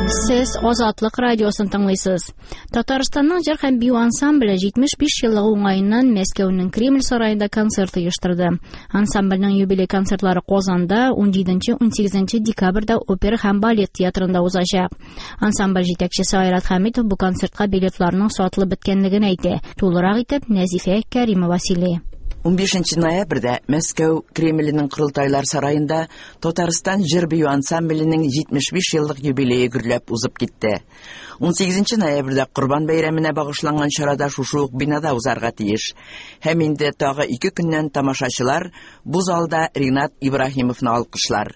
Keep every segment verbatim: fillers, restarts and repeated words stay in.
Сез Азатлык радиосын тыңлыйсыз. Татарстанның җыр һәм бию ансамбле җитмеш биш еллыгы уңаеннан Мәскәүнең Кремль сараенда концерт оештырды. Ансамбльнең юбилей концертлары Казанда ун җиденче, ун сигезенче декабрьдә опера һәм балет театрында узачак. Ансамбль җитәкчесе Айрат Хәмитов бу концертка билетларның сатылып беткәнлеген әйтә. Тулырак итеп Нәзифә Кәримова сөйли. Унбишенче ноябрьдә Мәскәү Кремленең Корылтайлар сараенда Татарстан җыр бию ансамбленең җитмеш биш еллык юбилее гөрләп узып китте. Ун сигезенче ноябрьдә Корбан бәйрәменә багышланган чарада шушы ук бинада узарга тиеш. Һәм инде тагы ике көннән тамашачылар бу залда Ринат Ибраһимовны алкышлар.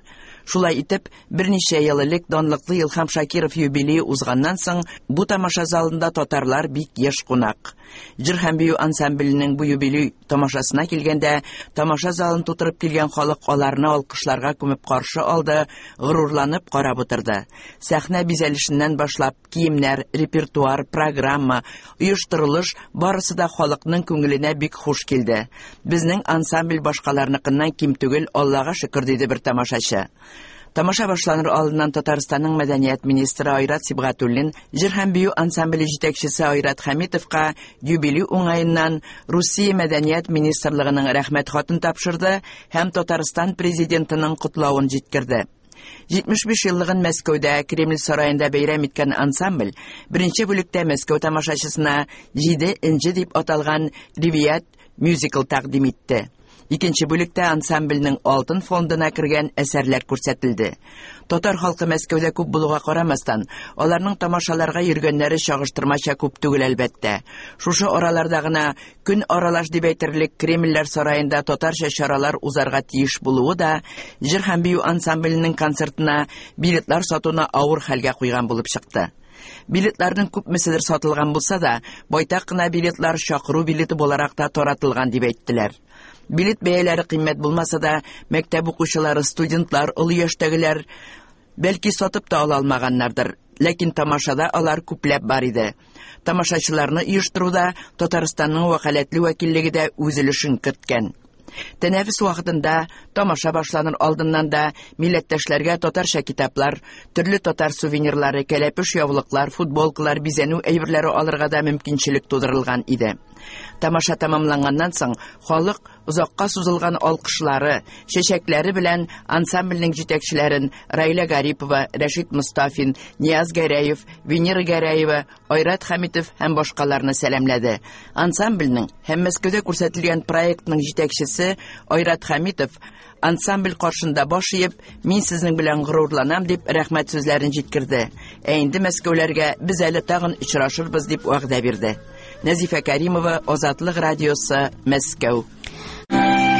Шулай итеп, берничә ел элек данлыклы Илһам Шакиров юбилее узганнан соң бу тамаша залында татарлар бик еш кунак. Җыр һәм бию ансамбленең бу юбилей тамашасына килгәндә, тамаша залын тутырып килгән халык аларны алкышларга күмеп каршы алды, горурланып карап утырды. Сәхнә бизәлешеннән башлап, киемнәр, репертуар, программа, оештырылыш барысы да халыкның күңеленә бик хуш килде. Безнең ансамбль башкаларныкыннан ким түгел, Аллага шөкер, диде бер тамашачы. Тамаша башланыр алдыннан Татарстанның мәдәният министры Айрат Сибгатуллин җыр һәм бию ансамбле җитәкчесе Айрат Хәмитовка юбилей уңаеннан Русия мәдәният министрлыгының рәхмәт хатын тапшырды һәм Татарстан президентының котлавын җиткерде. Җитмеш биш еллыгын Мәскәүдә Кремль сараенда бәйрәм иткән ансамбль беренче бүлектә Мәскәү тамашачысына Җиде энҗе дип аталган ривият мюзикл тәкъдим итте. Икенче бүлектә ансамбльнең алтын фондына кергән әсәрләр күрсәтелде. Татар халкы Мәскәүдә күп булуга карамастан, аларның тамашаларга йөргәннәре чагыштырмача күп түгел әлбәттә. Шушы араларда гына көн аралаш дип әйтерлек Кремльләр сараенда татарча чаралар узарга тиеш булуы да җыр һәм бию ансамбленең концертына билетлар сатуны авыр хәлгә куйган булып чыкты. Билетларның күпмеседер сатылган булса да, байтак кына билетлар чакыру билеты буларак та таратылган дип әйттеләр. Билет бәяләре кыйммәт булмаса да, мәктәп укучылары, студентлар, олы яшьтәгеләр бәлки сатып та ала алмаганнардыр. Ләкин тамашада алар күпләп бар иде. Тамашачыларны оештыруда Татарстанның вәкаләтле вәкиллеге дә үз өлешен керткән. Тәнәфес вакытында тамаша башланыр алдыннан да милләттәшләргә татарча китаплар, төрле татар сувенирлары, кәләпүш яулыклар, футболкалар, бизәнү әйберләре алырга да мөмкинчелек тудырылган иде. Тамаша тәмамланганнан соң халык озакка сузылган алкышлары, чәчәкләре белән ансамбльнең җитәкчеләрен Раилә Гарипова, Рәшит Мостафин, Нияз Гәрәев, Венера Гәрәева, Айрат Хәмитов һәм башкаларны сәламләде. Ансамбльнең һәм Мәскәүдә күрсәтелгән проектның җитәкчесе Айрат Хәмитов ансамбль каршында баш иеп, мин сезнең белән горурланам дип рәхмәт сүзләрен җиткерде. Ә инде мәскәүләргә без әле тагын очрашырбыз дип вәгъдә бирде. Нәзифә Кәримова, Азатлык радиосы, Мәскәү.